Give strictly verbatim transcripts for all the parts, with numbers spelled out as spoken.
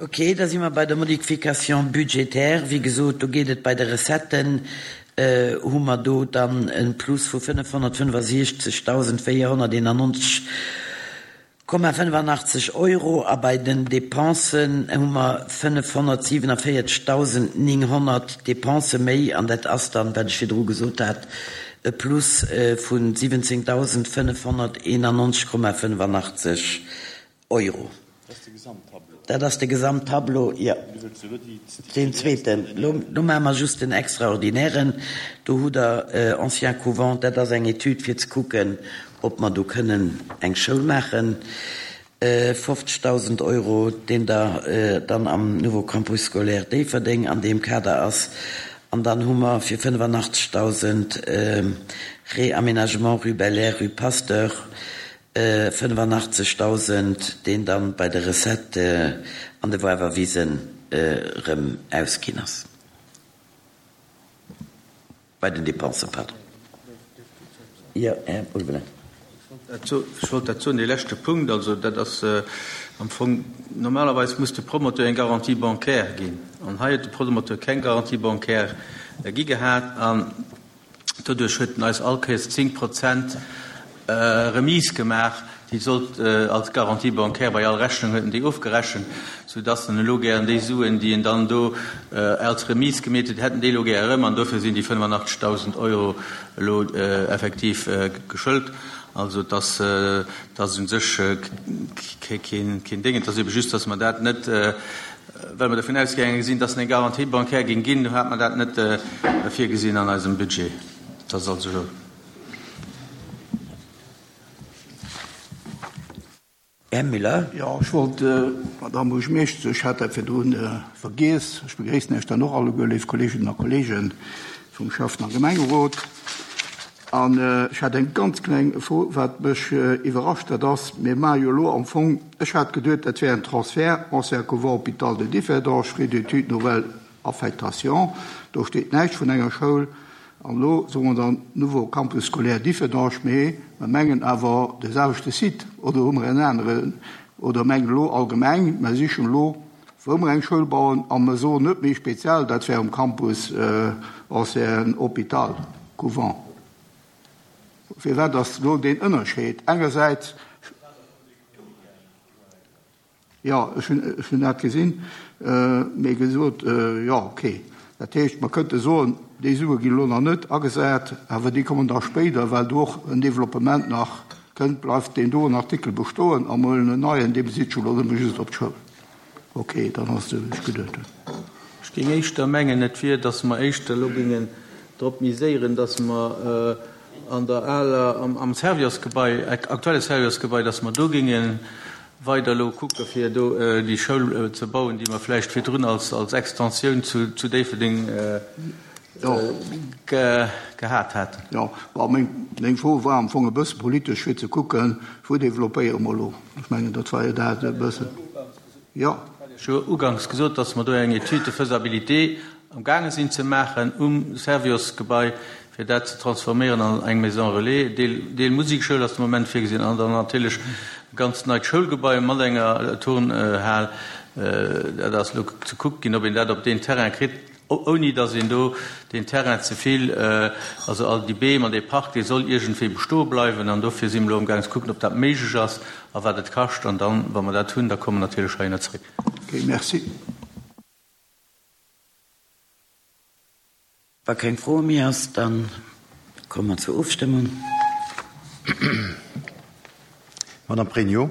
Ok, da si mer bei der Modification budgétaire. Wéi gesot, do geet et bei de Recetten, hu mer do dann e Plus vu fënnefhonnertfënnefasiechzegdausendvéierhonnerteenannonzeg Komma fënnefanachteg Euro a bei den Dépensen hu mer fënnefhonnertsiewenevéierzegdausendnénghonnert Dépensë méi an dat ass dann, wat ech virdru gesot hat, e Plus vu siwwenzéngdausendfënnefhonnerteenannonzeg Komma fënnefanachteg Euro. Dat ass de Gesamttableau, jo. Deen zweeten. Lo maache mer just den extraordinären. Do hutt Der Ancien Couvent, dat ass eng Etüd fir ze kucken, ob mer do kënnen eng Schoul maachen. fofzegdausend Euro, deen der dann am Nouveau Campus scolaire Déifferdeng an deem Kader ass. An dann hu mer fir fënnefanachtzegsdausend Réaménagement rue Belair, rue Pasteur, fënnefanachtzegsdausend, deen dann bei de Recettë an de Woarwerwisen erëm ausginn ass, bei den Dépensen, pardon. Jo, Här Ulveling. Ech wollt dat soen, dee leschte Punkt, also dat ass am Fong, normalerweis muss de Promoteur eng Garantie bancaire ginn an hei huet de Promoteur keng Garantie bancaire gi gehat an doduerch huet en eis all Kéiers zéng Prozent Remise gemaach, déi sollt als Garantie bancaire bei all Rechnung huet en déi ofgerechent, soudass en elo gären déi Suen, déi en dann do als Remise gemeet huet, hätt en déi elo gär erëm an dofir sinn déi fënnefanachtzegsdausend Euro elo effektiv geschëlt. Also et ass, et ass u sech keen Déng, et ass ebe just, dass mer dat net, well mer dovun ausgaange sinn, dass en eng Garantie bancaire géing ginn, do hat mer dat net virgesinn an eisem Budget. Dat ass also. Här Müller. Jo, ech wollt, Madamm Buergermeeschtesch, ech hat dat virdrun vergiess, ech begréissen Iech dann och alleguer, léif Kolleeginnen a Kolleegen vum Schäffen a Gemengerot. An ech hat eng ganz kleng Fro, wat mech iwwerrascht, dat ass, mir maache jo elo am Fong, ech hat geduet, dat wär en Transfert, ancien couvent hôpital de Differdange, frais d'études, nouvelle affectation, do steet näischt vun enger Schoul. An elo soe mer dann Nouveau Campus scolaire Differdange, mee mer mengen awer de selwechte Site, oder hu mer en aneren? Oder mengen elo allgemeng, mer sichen elo, wou mer eng Schoul bauen, a mer soen net méi speziell, dat wär um Campus ancien hôpital, couvent. Firwat ass elo deen Ënnerscheed? Engersäits. Jo, ech hunn, ech hunn dat gesinn, mee gesot, jo, okay. Dat heescht, mer kënnte soen, déi Sue ginn elo nach net agesat, awer déi kommen da spéider, well do och en Développement nach kënnt, bleift deen doen Artikel bestoen a mer huelen en neien, dee besitt sech elo nëmme just op d'Schoul. Okay, dann ass et esou, wéi ech geduet hunn. Ech géing éischter mengen, et wier, datt mer éischter elo géingen drop miséieren, datt mer an der aler, am Serviosgebai, aktuelle Serviosgebai, datt mer do géingen weider elo kucke fir do déi Schoul ze bauen, déi mer vläicht virdrun als als Extensioun zu zu Déifferdeng gehat haten. Jo, bon, meng meng Fro war am Fong e bësse politesch, fir ze kucken, wou développéiere mer elo? Ech mengen, dat war jo dat e bëssen. Jo. Ech hu uganks gesot, dass mer do eng Étude de faisabilité am gaange sinn ze maachen um Serviosgebai, fir dat ze transforméieren an eng Maison relais. Deel, Deel Musekschoul ass de Moment virgesinn an dann natierlech e ganz neit Schoulgebai mat enger Turnhal. Dat ass elo ze kuckt ginn, ob een dat op deen Terrain kritt, ouni datt een do deen Terrain ze vill, also all déi Beem an dee Park, dee soll iergendwéi bestoe bleiwen. An dofir si mer elo amgaang ze kucken, ob dat méiglech ass a wat et kascht. An dann, wa mer dat hunn, da komme mer natierlech heihinner zréck. Okay, merci. Wa keng Froe méi ass, da komme mer zur Ofstëmmung. Madame Pregno,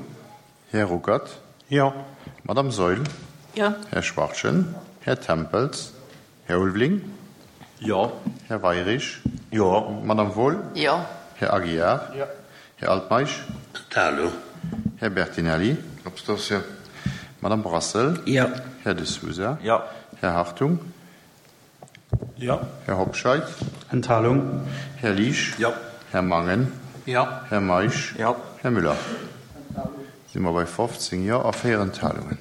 Här Ruckert. Jo. Madame Saeul. Jo. Här Schwachtgen, Här Tempels, Här Ulveling. Jo. Här Weirich. Jo. Madame Wohl. Jo. Här Aguiar. Jo. Här Altmeisch. Enthalung. Här Bertinelli. Abstention. Madame Brassel. Jo. Här De Sousa. Jo. Här Hartung. Jo. Här Hobscheit. Enthalung. Här Liesch. Jo. Här Mangen. Jo. Här Meisch. Jo. Här Müller. Si mer bei fofzéng Jo a véier Enthalungen.